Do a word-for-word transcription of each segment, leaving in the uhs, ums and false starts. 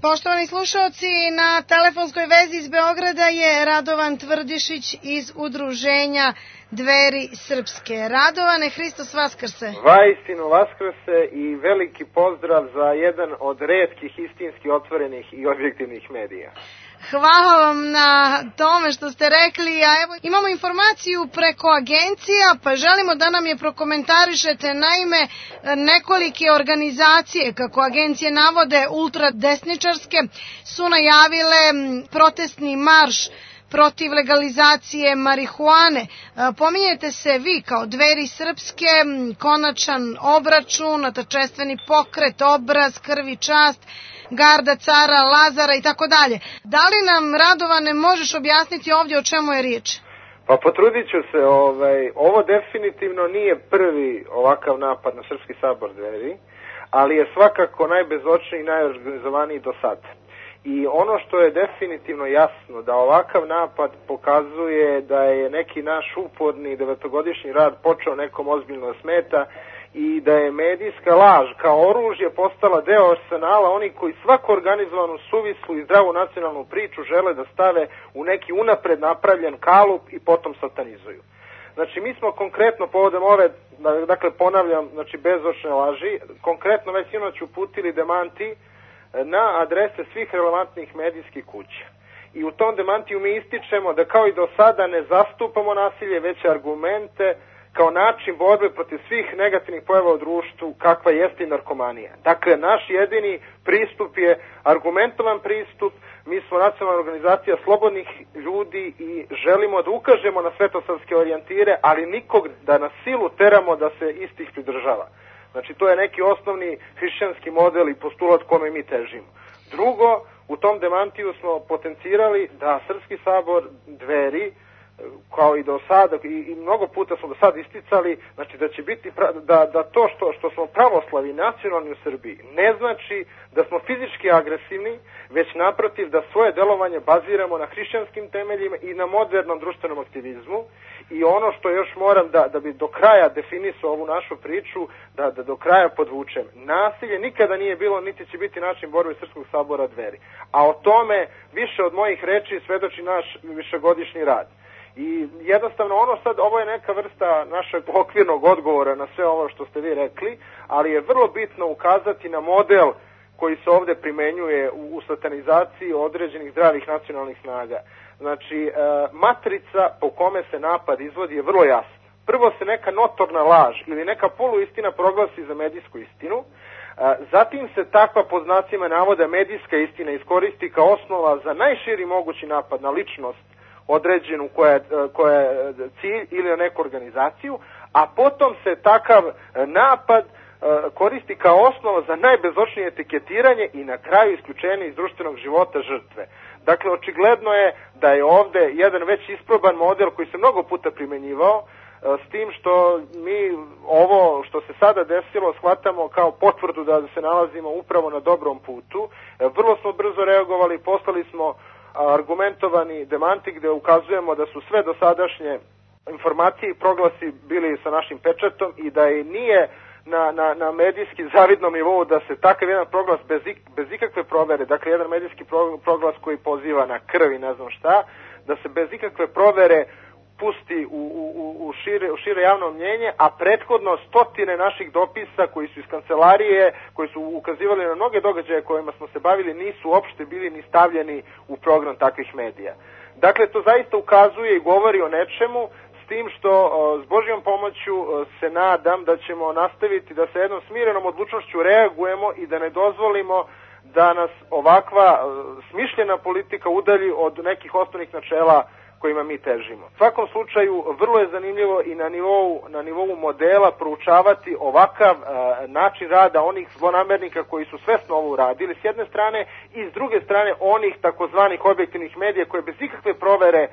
Poštovani slušalci, na telefonskoj vezi iz Beograda je Radovan Tvrdišić iz udruženja Dveri srpske. Radovane, Hristos vaskrse. Vaistinu vaskrse i veliki pozdrav za jedan od retkih istinski otvorenih i objektivnih medija. Hvala vam na tome što ste rekli, a evo imamo informaciju preko agencija, pa želimo da nam je prokomentarišete. Naime, nekolike organizacije, kako agencije navode, ultradesničarske, su najavile protestni marš protiv legalizacije marihuane. Pominjete se vi kao Dveri srpske, konačan obračun, atačestveni pokret, obraz, krv i čast, garda cara Lazara i tako dalje. Da li nam, Radovane, možeš objasniti ovdje o čemu je riječ? Pa potrudit ću se, ovaj, ovo definitivno nije prvi ovakav napad na Srpski sabor Dveri, ali je svakako najbezočniji i najorganizovaniji do sada. I ono što je definitivno jasno, da ovakav napad pokazuje da je neki naš uporni devetogodišnji rad počeo nekom ozbiljno smeta i da je medijska laž kao oružje postala deo arsenala oni koji svaku organizovanu, suvislu i zdravu nacionalnu priču žele da stave u neki unapred napravljen kalup i potom satanizuju. Znači, mi smo konkretno povodom ove, dakle ponavljam, znači bezočne laži, konkretno već sinoć uputili demanti na adrese svih relevantnih medijskih kuća. I u tom demantiju mi ističemo da kao i do sada ne zastupamo nasilje, već argumente kao način borbe protiv svih negativnih pojava u društvu kakva jeste i narkomanija. Dakle, naš jedini pristup je argumentovan pristup. Mi smo nacionalna organizacija slobodnih ljudi i želimo da ukažemo na svetosavske orijentire, ali nikog da na silu teramo da se istih pridržava. Znači, to je neki osnovni hrišćanski model i postulat kome mi težimo. Drugo, u tom demantiju smo potencirali da Srpski sabor Dveri, kao i do sada, i, i mnogo puta smo do sada isticali, znači da će biti, da, da to što, što smo pravoslavi nacionalni u Srbiji ne znači da smo fizički agresivni, već naprotiv da svoje delovanje baziramo na hrišćanskim temeljima i na modernom društvenom aktivizmu. I ono što još moram da, da bi do kraja definisao ovu našu priču, da, da do kraja podvučem. Nasilje nikada nije bilo, niti će biti način borbe Srpskog sabora Dveri. A o tome više od mojih reči svedoči naš višegodišnji rad. I jednostavno ono sad, ovo je neka vrsta našeg okvirnog odgovora na sve ovo što ste vi rekli, ali je vrlo bitno ukazati na model koji se ovde primenjuje u, u satanizaciji određenih zdravih nacionalnih snaga. Znači, e, matrica po kome se napad izvodi je vrlo jasna. Prvo se neka notorna laž ili neka poluistina proglasi za medijsku istinu, e, zatim se takva pod znacima navoda medijska istina iskoristi kao osnova za najširi mogući napad na ličnost određenu koja je, koja je cilj ili na neku organizaciju, a potom se takav napad koristi kao osnova za najbezočnije etiketiranje i na kraju isključenje iz društvenog života žrtve. Dakle, očigledno je da je ovde jedan već isproban model koji se mnogo puta primenjivao, s tim što mi ovo što se sada desilo shvatamo kao potvrdu da se nalazimo upravo na dobrom putu. Vrlo smo brzo reagovali, poslali smo argumentovani demanti gde ukazujemo da su sve dosadašnje informacije i proglasi bili sa našim pečatom i da i nije na, na, na medijski zavidnom nivou da se takav jedan proglas bez, ik, bez ikakve provere, dakle jedan medijski proglas koji poziva na krv i ne znam šta, da se bez ikakve provere pusti u, u, u, šire, u šire javno mnjenje, a prethodno stotine naših dopisa koji su iz kancelarije, koji su ukazivali na mnoge događaje kojima smo se bavili, nisu uopšte bili ni stavljeni u program takvih medija. Dakle, to zaista ukazuje i govori o nečemu, s tim što s Božjom pomoću se nadam da ćemo nastaviti da sa jednom smirenom odlučnošću reagujemo i da ne dozvolimo da nas ovakva smišljena politika udalji od nekih osnovnih načela kojima mi težimo. U svakom slučaju, vrlo je zanimljivo i na nivou, na nivou modela proučavati ovakav e, način rada onih zlonamernika koji su svesno ovo uradili s jedne strane i s druge strane onih takozvanih objektivnih medija koje bez ikakve provere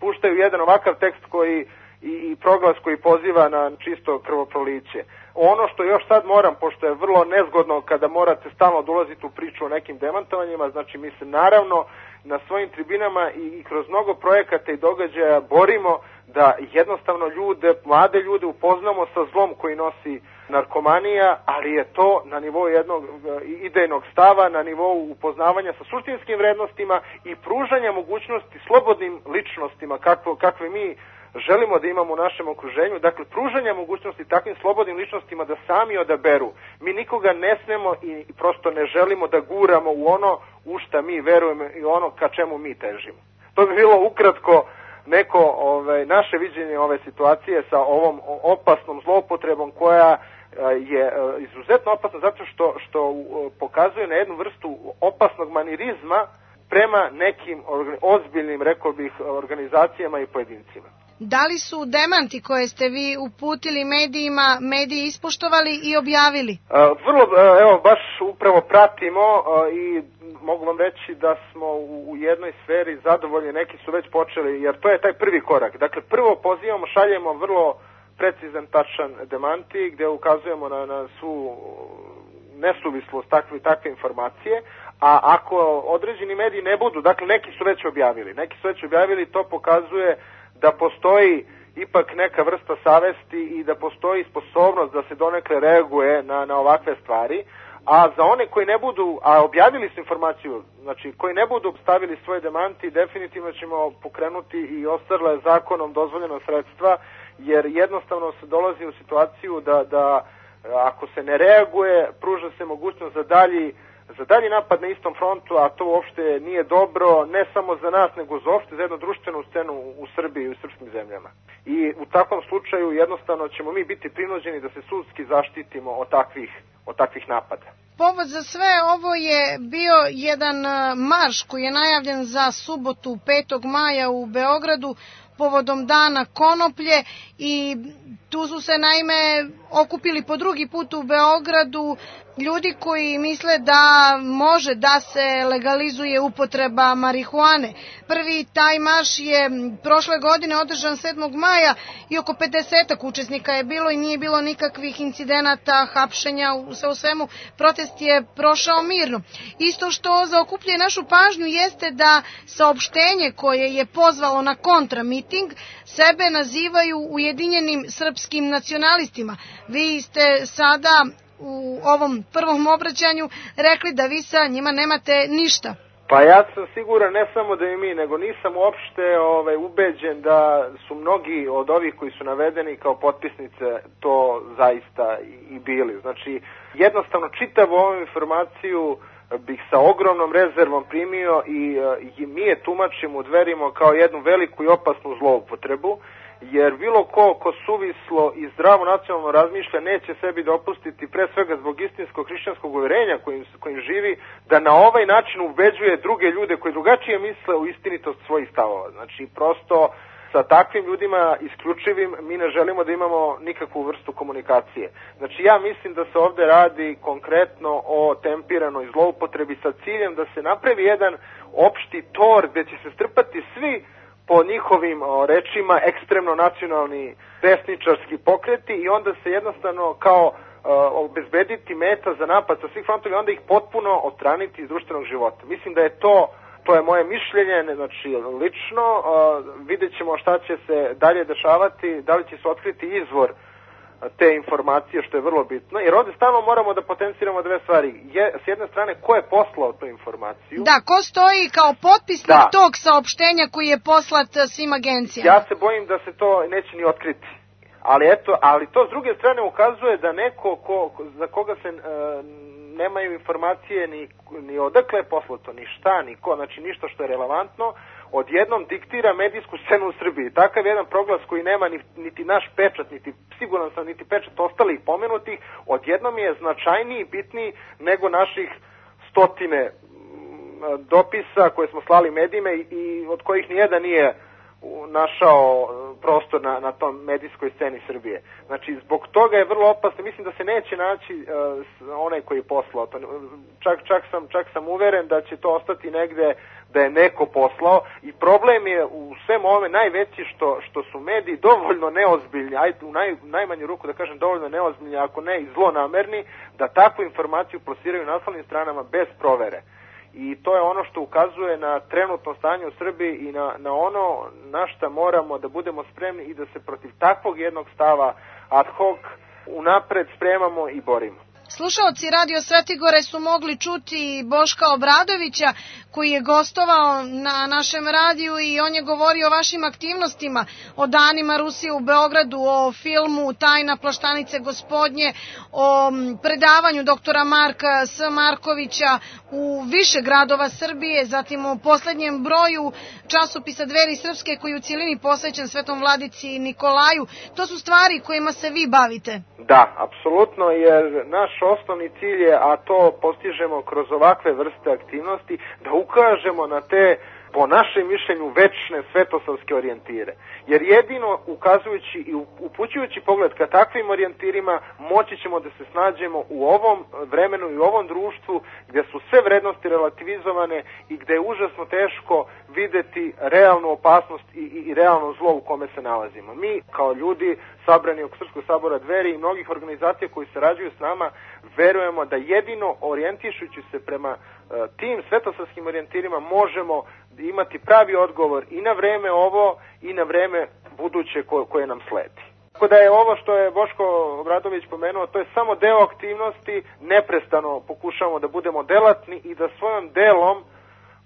puštaju jedan ovakav tekst koji i, i proglas koji poziva na čisto krvoproliće. Ono što još sad moram, pošto je vrlo nezgodno kada morate stalno dolaziti u priču o nekim demantovanjima, znači mi se naravno na svojim tribinama i kroz mnogo projekata i događaja borimo da jednostavno ljude, mlade ljude upoznamo sa zlom koji nosi narkomanija, ali je to na nivou jednog idejnog stava, na nivou upoznavanja sa suštinskim vrednostima i pružanja mogućnosti slobodnim ličnostima kakvo, kakve mi želimo da imamo u našem okruženju, dakle pružanja mogućnosti takvim slobodnim ličnostima da sami odaberu. Mi nikoga ne smemo i prosto ne želimo da guramo u ono u šta mi verujemo i ono ka čemu mi težimo. To bi bilo ukratko neko ovaj, naše viđenje ove situacije sa ovom opasnom zloupotrebom koja je izuzetno opasna zato što, što pokazuje na jednu vrstu opasnog manirizma prema nekim ozbiljnim, rekao bih, organizacijama i pojedincima. Da li su demanti koje ste vi uputili medijima, mediji ispoštovali i objavili? Uh, vrlo, uh, evo, baš upravo pratimo uh, i mogu vam reći da smo u, u jednoj sferi zadovoljni, neki su već počeli, jer to je taj prvi korak. Dakle, prvo pozivamo, šaljemo vrlo precizan, tačan demanti, gde ukazujemo na, na svu nesuvislost takve, takve informacije, a ako određeni mediji ne budu, dakle, neki su već objavili, neki su već objavili, to pokazuje da postoji ipak neka vrsta savesti i da postoji sposobnost da se donekle reaguje na, na ovakve stvari, a za one koji ne budu, a objavili su informaciju, znači koji ne budu stavili svoje demanti, definitivno ćemo pokrenuti i ostale zakonom dozvoljeno sredstva, jer jednostavno se dolazi u situaciju da, da ako se ne reaguje, pruža se mogućnost za dalji za dalji napad na istom frontu, a to uopšte nije dobro, ne samo za nas, nego za uopšte za jednu društvenu scenu u Srbiji i u srpskim zemljama. I u takvom slučaju jednostavno ćemo mi biti prinuđeni da se sudski zaštitimo od takvih, od takvih napada. Povod za sve ovo je bio jedan marš koji je najavljen za subotu petog maja u Beogradu povodom dana konoplje i tu su se naime okupili po drugi put u Beogradu ljudi koji misle da može da se legalizuje upotreba marihuane. Prvi taj marš je prošle godine održan sedmog maja i oko pedesetak učesnika je bilo i nije bilo nikakvih incidenata, hapšenja, sve u svemu protest je prošao mirno. Isto što zaokupljuje našu pažnju jeste da saopštenje koje je pozvalo na kontramiting sebe nazivaju Ujedinjenim srpskim nacionalistima. Vi ste sada u ovom prvom obraćanju rekli da vi sa njima nemate ništa. Pa ja sam siguran, ne samo da i mi, nego nisam uopšte ovaj, ubeđen da su mnogi od ovih koji su navedeni kao potpisnice to zaista i, i bili. Znači, jednostavno čitavu ovu informaciju bih sa ogromnom rezervom primio i, i mi je tumačimo, udverimo kao jednu veliku i opasnu zloupotrebu, jer bilo ko ko suvislo i zdravo nacionalno razmišlja neće sebi dopustiti, pre svega zbog istinskog hrišćanskog uvjerenja kojim, kojim živi, da na ovaj način ubeđuje druge ljude koji drugačije misle u istinitost svojih stavova. Znači, prosto sa takvim ljudima isključivim mi ne želimo da imamo nikakvu vrstu komunikacije. Znači, ja mislim da se ovde radi konkretno o tempiranoj zloupotrebi sa ciljem da se napravi jedan opšti tor gde će se strpati svi po njihovim o, rečima ekstremno nacionalni desničarski pokreti i onda se jednostavno kao o, obezbediti meta za napad sa svih frontova i onda ih potpuno odstraniti iz društvenog života. Mislim da je to, to je moje mišljenje, znači lično, o, vidjet ćemo šta će se dalje dešavati, da li će se otkriti izvor te informacije, što je vrlo bitno, jer ovde stalno moramo da potenciramo dve stvari. Je, s jedne strane, ko je poslao tu informaciju? Da, ko stoji kao potpisnik da. tog saopštenja koji je poslat svim agencijama? Ja se bojim da se to neće ni otkriti. Ali eto, ali to s druge strane ukazuje da neko ko, za koga se e, nemaju informacije ni, ni odakle je poslato, ni šta, ni ko, znači ništa što je relevantno, odjednom diktira medijsku scenu u Srbiji. Takav jedan proglas koji nema ni, niti naš pečat, niti siguran sam, niti pečat ostalih pomenutih, odjednom je značajniji i bitniji nego naših stotine dopisa koje smo slali medijima i, i od kojih nijedan nije našao prostor na, na tom medijskoj sceni Srbije. Znači, zbog toga je vrlo opasno. Mislim da se neće naći uh, onaj koji je poslao to. Čak, čak, sam, čak sam uveren da će to ostati negde da je neko poslao i problem je u svem ovome najveći što, što su mediji dovoljno neozbiljni, ajde u naj, najmanju ruku da kažem dovoljno neozbiljni, ako ne i zlonamerni, da takvu informaciju plasiraju na naslovnim stranama bez provere. I to je ono što ukazuje na trenutno stanje u Srbiji i na, na ono na šta moramo da budemo spremni i da se protiv takvog jednog stava ad hoc unapred spremamo i borimo. Slušaoci Radio Svetigore su mogli čuti Boška Obradovića koji je gostovao na našem radiju i on je govorio o vašim aktivnostima, o danima Rusije u Beogradu, o filmu Tajna plaštanice gospodnje, o predavanju doktora Marka S. Markovića u više gradova Srbije, zatim o poslednjem broju časopisa Dveri Srpske koji je u cijelini posvećen Svetom Vladici Nikolaju. To su stvari kojima se vi bavite. Da, apsolutno, jer naš osnovni cilj je, a to postižemo kroz ovakve vrste aktivnosti, da ukažemo na te, po našem mišljenju, večne svetosavske orijentire. Jer jedino ukazujući i upućujući pogled ka takvim orijentirima moći ćemo da se snađemo u ovom vremenu i u ovom društvu gdje su sve vrednosti relativizovane i gdje je užasno teško videti realnu opasnost i, i, i realno zlo u kome se nalazimo. Mi kao ljudi sabrani oko Srpskog sabora Dveri i mnogih organizacija koji sarađuju s nama verujemo da jedino orijentišući se prema uh, tim svetosavskim orijentirima možemo imati pravi odgovor i na vreme ovo i na vreme buduće ko, koje nam sledi. Tako da je ovo što je Boško Obradović pomenuo, to je samo deo aktivnosti, neprestano pokušavamo da budemo delatni i da svojom delom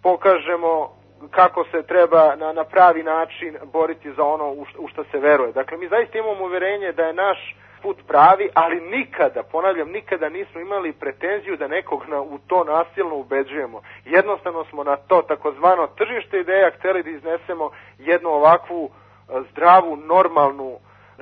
pokažemo kako se treba na, na pravi način boriti za ono u, u što se veruje. Dakle, mi zaista imamo uverenje da je naš put pravi, ali nikada, ponavljam, nikada nismo imali pretenziju da nekog na, u to nasilno ubeđujemo. Jednostavno smo na to takozvano tržište ideja hteli da iznesemo jednu ovakvu zdravu, normalnu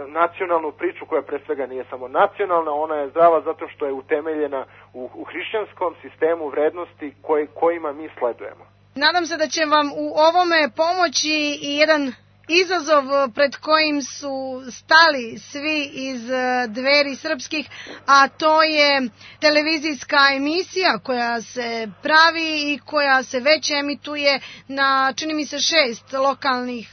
nacionalnu priču koja pre svega nije samo nacionalna, ona je zdrava zato što je utemeljena u, u hrišćanskom sistemu vrednosti koj, kojima mi sledujemo. Nadam se da će vam u ovome pomoći i jedan izazov pred kojim su stali svi iz Dveri Srpskih, a to je televizijska emisija koja se pravi i koja se već emituje na, čini mi se, šest lokalnih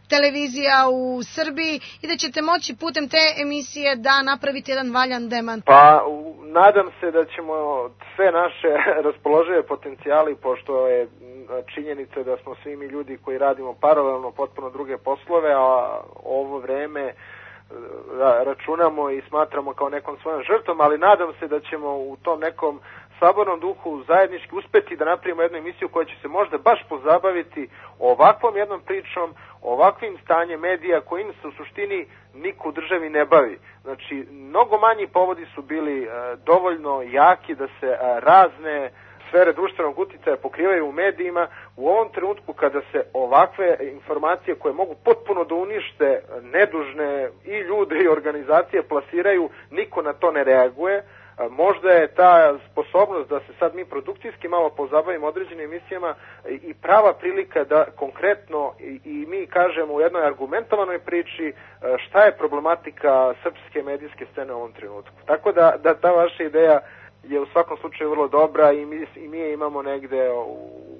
televizija u Srbiji i da ćete moći putem te emisije da napravite jedan valjan demant. Pa, nadam se da ćemo sve naše raspoložive potencijali, pošto je činjenica da smo svi mi ljudi koji radimo paralelno potpuno druge poslove, a ovo vreme računamo i smatramo kao nekom svojom žrtvom, ali nadam se da ćemo u tom nekom sabornom duhu zajednički uspeti da napravimo jednu emisiju koja će se možda baš pozabaviti ovakvom jednom pričom, ovakvim stanjem medija kojim se u suštini niko u državi ne bavi. Znači, mnogo manji povodi su bili e, dovoljno jaki da se e, razne sfere društvenog uticaja pokrivaju u medijima. U ovom trenutku kada se ovakve informacije koje mogu potpuno da unište nedužne i ljude i organizacije plasiraju, niko na to ne reaguje. Možda je ta sposobnost da se sad mi produkcijski malo pozabavimo određenim emisijama i prava prilika da konkretno i, i mi kažemo u jednoj argumentovanoj priči šta je problematika srpske medijske scene u ovom trenutku. Tako da, da ta vaša ideja je u svakom slučaju vrlo dobra i mi, i mi je imamo negde u,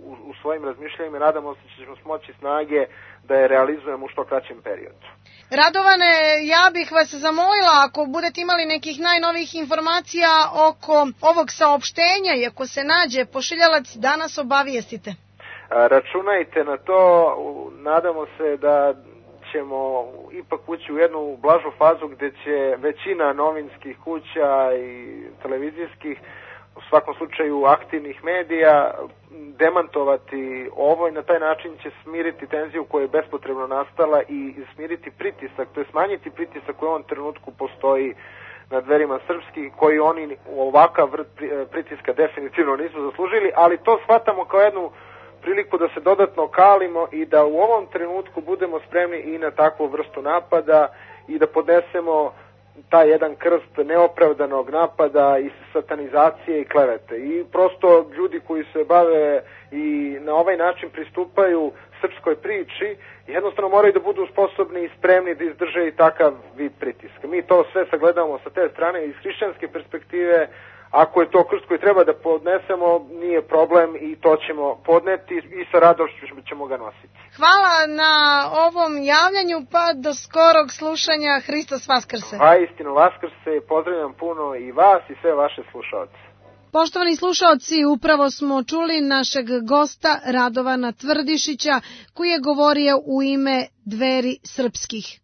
u, u svojim razmišljanjima i nadamo se da ćemo smoći snage da je realizujemo u što kraćem periodu. Radovane, ja bih vas zamolila ako budete imali nekih najnovijih informacija oko ovog saopštenja i ako se nađe pošiljalac da nas obavijestite. Računajte na to, nadamo se da ćemo ipak ući u jednu blažu fazu gdje će većina novinskih kuća i televizijskih, u svakom slučaju aktivnih medija, demantovati ovo i na taj način će smiriti tenziju koja je bespotrebno nastala i smiriti pritisak, to je smanjiti pritisak koji u ovom trenutku postoji na Dverima Srpskih, koji oni ovakav vrt pritiska definitivno nisu zaslužili, ali to shvatamo kao jednu priliku da se dodatno kalimo i da u ovom trenutku budemo spremni i na takvu vrstu napada i da podnesemo taj jedan krst neopravdanog napada i satanizacije i klevete. I prosto ljudi koji se bave i na ovaj način pristupaju srpskoj priči, jednostavno moraju da budu sposobni i spremni da izdrže i takav vid pritiska. Mi to sve sagledamo sa te strane iz hrišćanske perspektive. Ako je to krst koji treba da podnesemo, nije problem i to ćemo podneti i sa radošću ćemo ga nositi. Hvala na ovom javljanju, pa do skorog slušanja. Hristos Vaskrse. Pa istino Vaskrse, pozdravljam puno i vas i sve vaše slušalce. Poštovani slušaoci, upravo smo čuli našeg gosta Radovana Tvrdišića koji je govorio u ime Dveri srpskih.